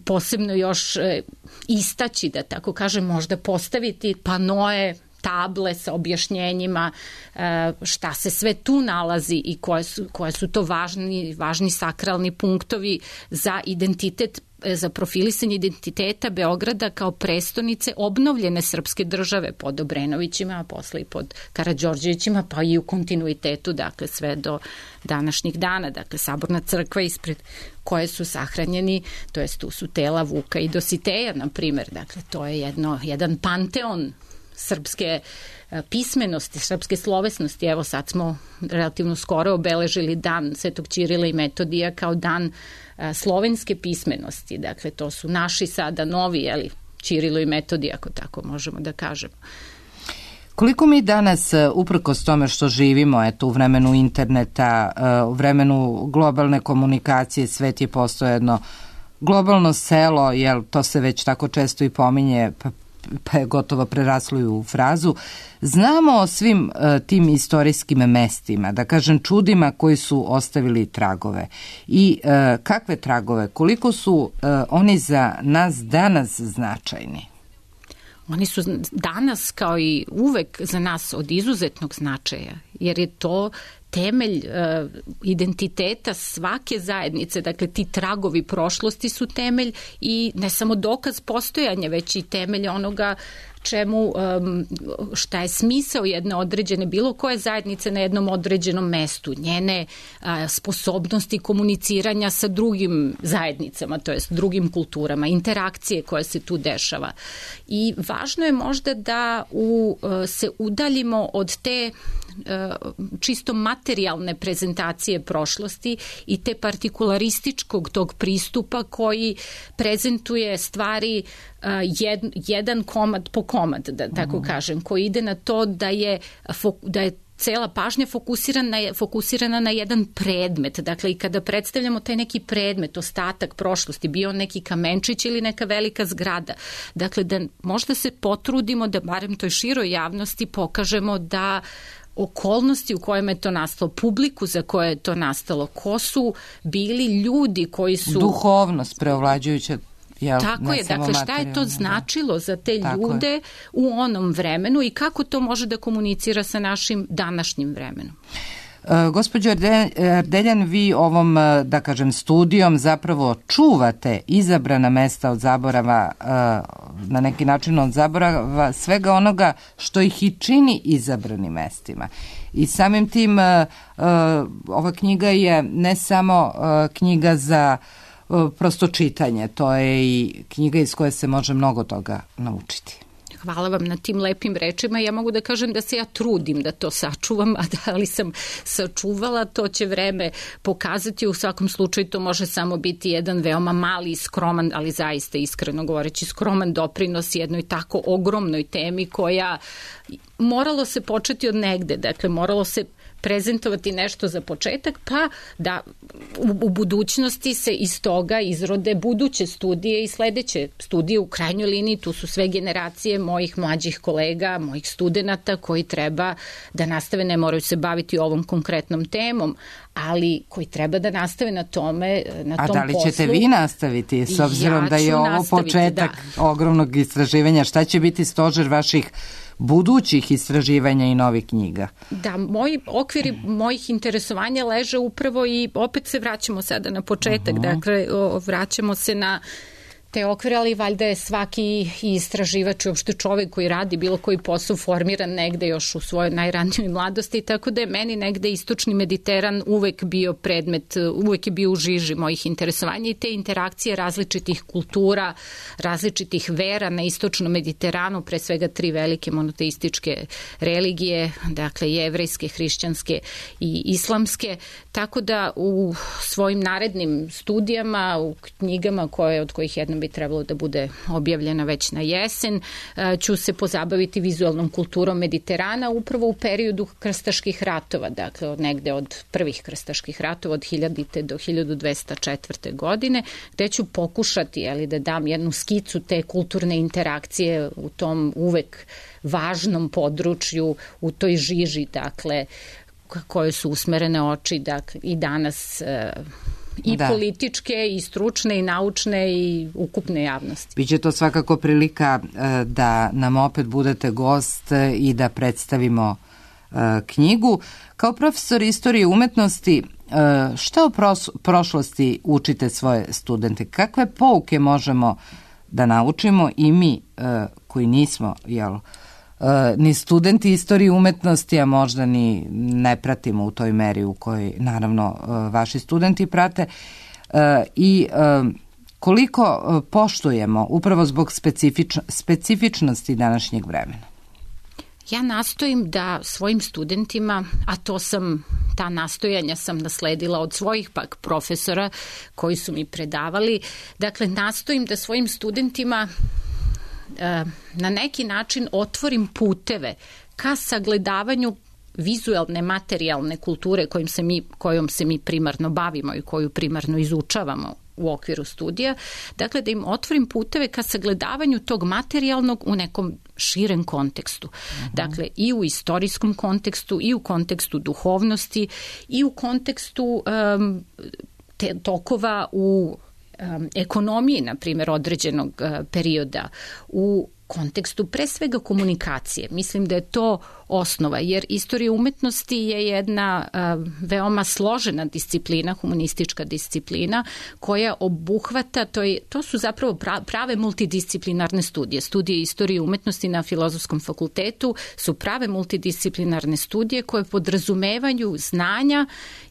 posebno još istaći, da tako kažem, možda postaviti panoe, table sa objašnjenjima šta se sve tu nalazi i koje su, koje su to važni, važni sakralni punktovi za identitet, za profilisanje identiteta Beograda kao prestonice obnovljene srpske države pod Obrenovićima, a posle i pod Karađorđevićima, pa i u kontinuitetu, dakle sve do današnjih dana. Dakle, Saborna crkva ispred koje su sahranjeni, to jest tu su tela Vuka i Dositeja, na primer. Dakle, to je jedno, jedan panteon srpske pismenosti, srpske slovesnosti. Evo sad smo relativno skoro obeležili dan Svetog Ćirila i Metodija kao dan slovenske pismenosti. Dakle, to su naši sada novi, jeli, Ćirilo i Metodija, ako tako možemo da kažemo. Koliko mi danas, uprkos tome što živimo, eto, u vremenu interneta, u vremenu globalne komunikacije, svet je postao jedno globalno selo, jel, to se već tako često i pominje, pa pa je gotovo preraslo u frazu, znamo o svim uh, tim istorijskim mestima, da kažem čudima koji su ostavili tragove. I uh, kakve tragove, koliko su uh, oni za nas danas značajni? Oni su danas kao i uvek za nas od izuzetnog značaja, jer je to temelj uh, identiteta svake zajednice, dakle ti tragovi prošlosti su temelj i ne samo dokaz postojanja, već i temelj onoga čemu, um, šta je smisao jedne određene, bilo koje zajednice na jednom određenom mestu, njene uh, sposobnosti komuniciranja sa drugim zajednicama, to jest drugim kulturama, interakcije koje se tu dešava. I važno je možda da u, uh, se udaljimo od te uh, čisto materijalne prezentacije prošlosti i te partikularističkog tog pristupa koji prezentuje stvari uh, jed, jedan komad po komad, da tako uh-huh. kažem, koji ide na to da je, da je cela pažnja fokusirana, fokusirana na jedan predmet. Dakle, i kada predstavljamo taj neki predmet, ostatak prošlosti, bio neki kamenčić ili neka velika zgrada. Dakle, da možda se potrudimo da barem toj široj javnosti pokažemo da okolnosti u kojima je to nastalo, publiku za koje je to nastalo, ko su bili ljudi koji su... Duhovnost preovlađujuća. Jel, Tako je, dakle šta je to značilo za te ljude u onom vremenu i kako to može da komunicira sa našim današnjim vremenom. E, gospođo Erdeljan, vi ovom, da kažem, studijom zapravo čuvate izabrana mesta od zaborava, e, na neki način od zaborava svega onoga što ih i čini izabranim mestima. I samim tim e, e, ova knjiga je ne samo e, knjiga za prosto čitanje, to je i knjiga iz koje se može mnogo toga naučiti. Hvala vam na tim lepim rečima. Ja mogu da kažem da se ja trudim da to sačuvam, a da li sam sačuvala, to će vreme pokazati. U svakom slučaju to može samo biti jedan veoma mali, skroman, ali zaista iskreno govoreći skroman doprinos jednoj tako ogromnoj temi koja moralo se početi od negde. Dakle, moralo se prezentovati nešto za početak, pa da u, u budućnosti se iz toga izrode buduće studije i sledeće studije. U krajnjoj liniji tu su sve generacije mojih mlađih kolega, mojih studenata koji treba da nastave, ne moraju se baviti ovom konkretnom temom, ali koji treba da nastave na tome, na tom poslu. A da li ćete poslu. vi nastaviti, s obzirom ja da je ovo početak da. ogromnog istraživanja? Šta će biti stožer vaših budućih istraživanja i novih knjiga? Da, moji okviri mojih interesovanja leže upravo i opet se vraćamo sada na početak, uh-huh. dakle vraćamo se na te okvire, ali valjda je svaki istraživač i uopšte čovek koji radi bilo koji posao formiran negde još u svojoj najranijoj mladosti, tako da je meni negde istočni Mediteran uvek bio predmet, uvek je bio u žiži mojih interesovanja i te interakcije različitih kultura, različitih vera na istočnom Mediteranu, pre svega tri velike monoteističke religije, dakle jevrejske, hrišćanske i islamske, tako da u svojim narednim studijama, u knjigama koje, od kojih jedna bi trebalo da bude objavljena već na jesen, ću se pozabaviti vizualnom kulturom Mediterana upravo u periodu krstaških ratova, dakle od negde od prvih krstaških ratova od hiljadite do hiljadu dvesta četvrte. godine, gde ću pokušati ali, da dam jednu skicu te kulturne interakcije u tom uvek važnom području, u toj žiži, dakle, koje su usmerene oči, dakle, i danas i da. političke, i stručne, i naučne, i ukupne javnosti. Biće to svakako prilika da nam opet budete gost i da predstavimo knjigu. Kao profesor istorije umetnosti, šta o prošlosti učite svoje studente? Kakve pouke možemo da naučimo i mi koji nismo, jel, ni studenti istorije umetnosti, a možda ni ne pratimo u toj meri u kojoj naravno vaši studenti prate, i koliko poštujemo upravo zbog specifič, specifičnosti današnjeg vremena? Ja nastojim da svojim studentima, a to sam, ta nastojanja sam nasledila od svojih pak profesora koji su mi predavali, dakle nastojim da svojim studentima na neki način otvorim puteve ka sagledavanju vizualne, materijalne kulture kojim se mi, kojom se mi primarno bavimo i koju primarno izučavamo u okviru studija, dakle da im otvorim puteve ka sagledavanju tog materijalnog u nekom širem kontekstu. Uh-huh. Dakle, i u istorijskom kontekstu, i u kontekstu duhovnosti, i u kontekstu um, te tokova u um, ekonomiji, na primjer, određenog uh, perioda, u kontekstu pre svega komunikacije. Mislim da je to osnova, jer istorija umetnosti je jedna uh, veoma složena disciplina, humanistička disciplina, koja obuhvata, to, je, to su zapravo prave multidisciplinarne studije. Studije istorije umetnosti na Filozofskom fakultetu su prave multidisciplinarne studije koje podrazumevaju znanja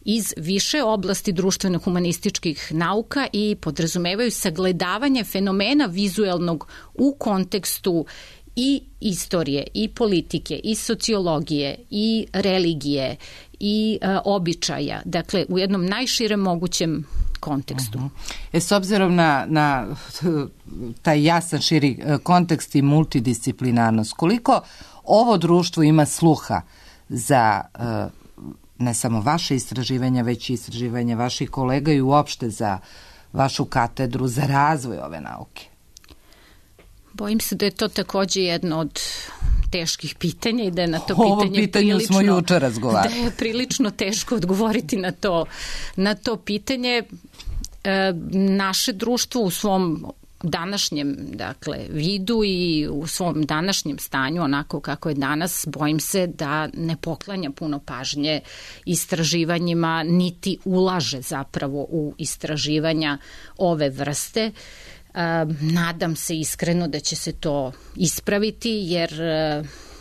iz više oblasti društveno-humanističkih nauka i podrazumevaju sagledavanje fenomena vizuelnog u kontekstu i istorije, i politike, i sociologije, i religije, i e, običaja. Dakle, u jednom najširem mogućem kontekstu. Uh-huh. E, s obzirom na, na taj jasan širi kontekst i multidisciplinarnost, koliko ovo društvo ima sluha za ne samo vaše istraživanja, već i istraživanja vaših kolega i uopšte za vašu katedru, za razvoj ove nauke? Bojim se da je to takođe jedno od teških pitanja i da je na to Ovo pitanje pitanje prilično, smo juče razgovarali. Da je prilično teško odgovoriti na to, na to pitanje. E, naše društvo u svom današnjem, dakle, vidu i u svom današnjem stanju, onako kako je danas, bojim se da ne poklanja puno pažnje istraživanjima, niti ulaže zapravo u istraživanja ove vrste. Nadam se iskreno da će se to ispraviti, jer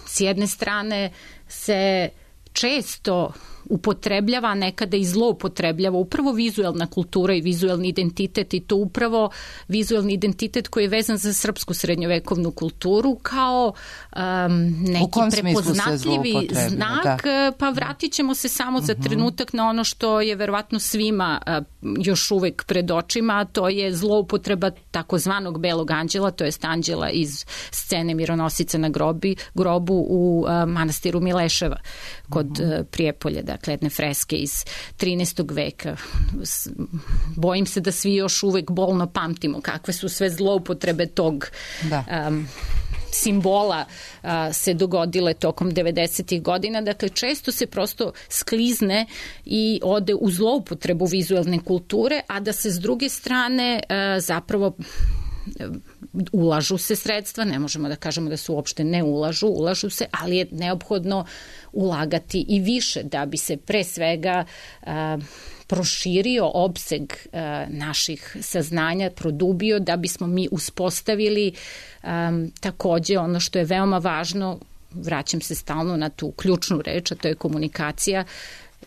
s jedne strane se često upotrebljava, nekada i zloupotrebljava upravo vizuelna kultura i vizuelni identitet, i to upravo vizuelni identitet koji je vezan za srpsku srednjovekovnu kulturu kao um, neki prepoznatljivi znak, da. Pa vratit ćemo se samo za trenutak na ono što je verovatno svima uh, još uvek pred očima, a to je zloupotreba takozvanog belog anđela, to jest anđela iz scene Mironosica na grobi, grobu u uh, manastiru Mileševa kod uh, Prijepolja, dakle jedne freske iz trinaestog veka. Bojim se da svi još uvek bolno pamtimo kakve su sve zloupotrebe tog da. um, simbola uh, se dogodile tokom devedesetih godina. Dakle, često se prosto sklizne i ode u zloupotrebu vizuelne kulture, a da se s druge strane uh, zapravo ulažu se sredstva, ne možemo da kažemo da se uopšte ne ulažu, ulažu se, ali je neophodno ulagati i više da bi se pre svega uh, proširio opseg uh, naših saznanja, produbio, da bismo mi uspostavili um, takođe ono što je veoma važno, vraćam se stalno na tu ključnu reč, a to je komunikacija,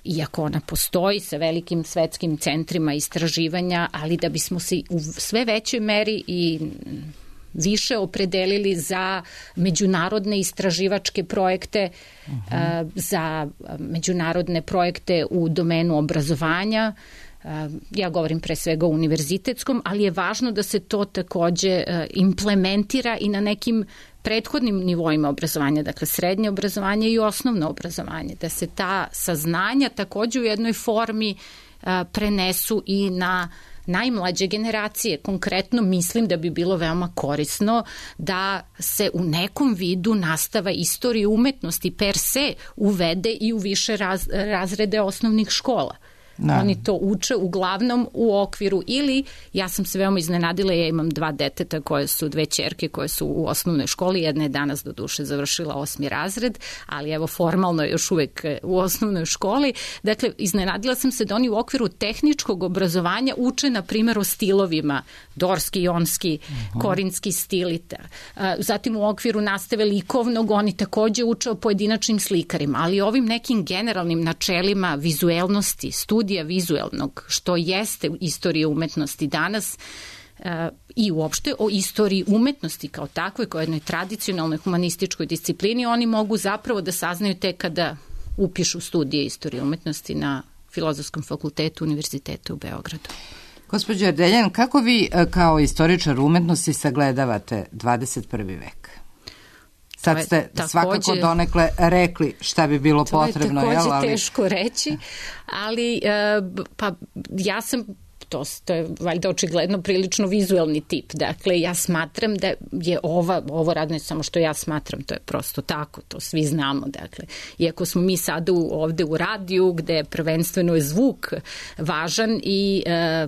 iako ona postoji sa velikim svetskim centrima istraživanja, ali da bismo se u sve većoj meri i više opredelili za međunarodne istraživačke projekte, uh-huh. za međunarodne projekte u domenu obrazovanja. Ja govorim pre svega o univerzitetskom, ali je važno da se to takođe implementira i na nekim prethodnim nivoima obrazovanja, dakle srednje obrazovanje i osnovno obrazovanje, da se ta saznanja takođe u jednoj formi prenesu i na najmlađe generacije. Konkretno mislim da bi bilo veoma korisno da se u nekom vidu nastava istorije umetnosti per se uvede i u više raz, razrede osnovnih škola. Da. Oni to uče uglavnom u okviru ili, ja sam se veoma iznenadila, ja imam dva deteta koje su, dve ćerke koje su u osnovnoj školi, jedna je danas do duše završila osmi razred, ali evo formalno je još uvek u osnovnoj školi. Dakle, iznenadila sam se da oni u okviru tehničkog obrazovanja uče, na primjer, o stilovima, dorski, jonski, uh-huh. korinski stilita. Zatim u okviru nastave likovnog oni takođe uče o pojedinačnim slikarima, ali ovim nekim generalnim načelima vizuelnosti, studija vizuelnog, što jeste istorija umetnosti danas uh, i uopšte o istoriji umetnosti kao takvoj, kao jednoj tradicionalnoj humanističkoj disciplini, oni mogu zapravo da saznaju tek kada upišu studije istorije umetnosti na Filozofskom fakultetu Univerziteta u Beogradu. Gospođo Erdeljan, kako vi kao istoričar umetnosti sagledavate dvadeset prvi vek? Sad ste takođe, svakako donekle rekli šta bi bilo to potrebno. To je takođe jel, ali... teško reći, ali pa ja sam, to, to je valjda očigledno prilično vizuelni tip. Dakle, ja smatram da je ova, ovo radno je samo što ja smatram, to je prosto tako, to svi znamo. Dakle, iako smo mi sada u, ovde u radiju, gde prvenstveno je zvuk važan i e,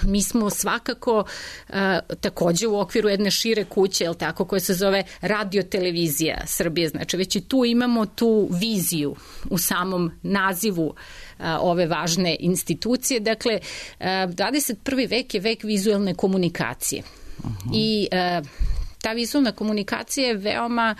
mi smo svakako e, takođe u okviru jedne šire kuće, jel tako, koja se zove Radio-televizija Srbije. Znači, već i tu imamo tu viziju u samom nazivu ove važne institucije. Dakle, dvadeset prvi vek je vek vizuelne komunikacije. Uh-huh. I ta vizuelna komunikacija je veoma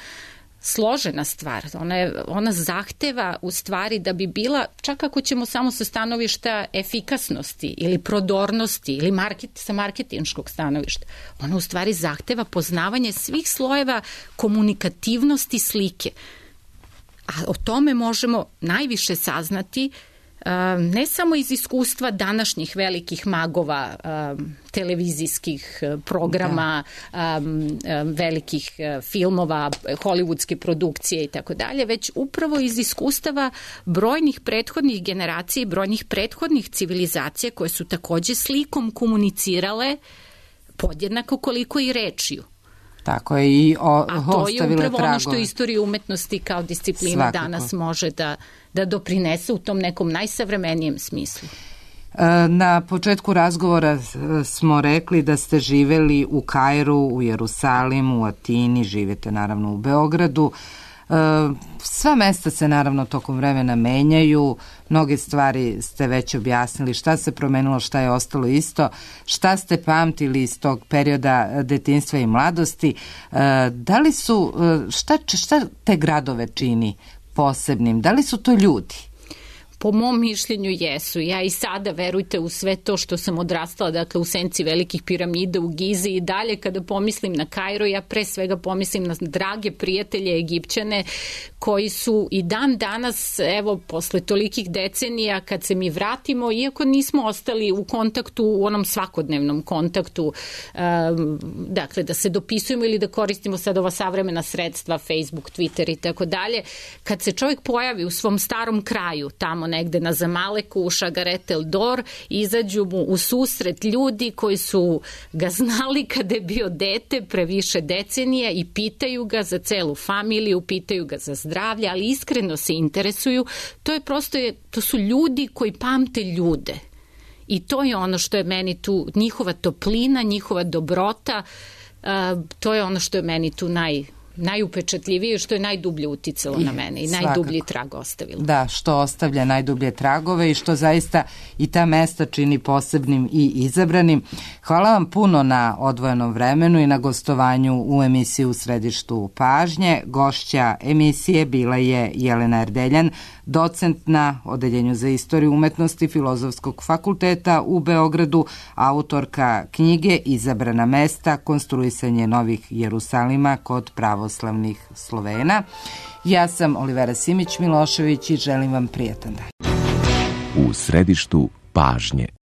složena stvar. Ona, je, ona zahteva u stvari da bi bila, čak ako ćemo samo sa stanovišta efikasnosti ili prodornosti ili market, sa marketinškog stanovišta, ona u stvari zahteva poznavanje svih slojeva komunikativnosti slike. A o tome možemo najviše saznati ne samo iz iskustva današnjih velikih magova um, televizijskih programa, um, velikih filmova, hollywoodske produkcije i tako dalje, već upravo iz iskustava brojnih prethodnih generacija i brojnih prethodnih civilizacija koje su takođe slikom komunicirale podjednako koliko i rečju. Tako je i o, A to je upravo tragove. ono što istorija umetnosti kao disciplina Svakako. danas može da, da doprinese u tom nekom najsavremenijem smislu. Na početku razgovora smo rekli da ste živeli u Kairu, u Jerusalimu, u Atini, živite naravno u Beogradu. Sva mesta se naravno tokom vremena menjaju, mnoge stvari ste već objasnili, šta se promenilo, šta je ostalo isto, šta ste pamtili iz tog perioda detinjstva i mladosti. Da li su, šta, šta te gradove čini posebnim? Da li su to ljudi? Po mom mišljenju jesu. Ja i sada, verujte, u sve to što sam odrastala, dakle u senci velikih piramida u Gizi i dalje, kada pomislim na Kairo, ja pre svega pomislim na drage prijatelje Egipćane koji su i dan danas, evo, posle tolikih decenija, kad se mi vratimo, iako nismo ostali u kontaktu, u onom svakodnevnom kontaktu, um, dakle, da se dopisujemo ili da koristimo sad ova savremena sredstva, Facebook, Twitter i tako dalje, kad se čovjek pojavi u svom starom kraju, tamo negde na Zamaleku, u Šagaret el Dor, izađu mu u susret ljudi koji su ga znali kada je bio dete pre više decenija i pitaju ga za celu familiju, pitaju ga za zdravlje, ali iskreno se interesuju. To je prosto, to su ljudi koji pamte ljude. I to je ono što je meni tu, njihova toplina, njihova dobrota, uh, to je ono što je meni tu naj najupečatljivije, što je najdublje uticalo na mene i Svakako. najdublji trag ostavilo. Da, što ostavlja najdublje tragove i što zaista i ta mesta čini posebnim i izabranim. Hvala vam puno na odvojenom vremenu i na gostovanju u emisiji U središtu pažnje. Gošća emisije bila je Jelena Erdeljan, docent na Odeljenju za istoriju umetnosti Filozofskog fakulteta u Beogradu, autorka knjige Izabrana mesta, konstruisanje novih Jerusalima kod pravoslavnih Slovena. Ja sam Olivera Simić Milošević i želim vam prijatan dan. U središtu pažnje.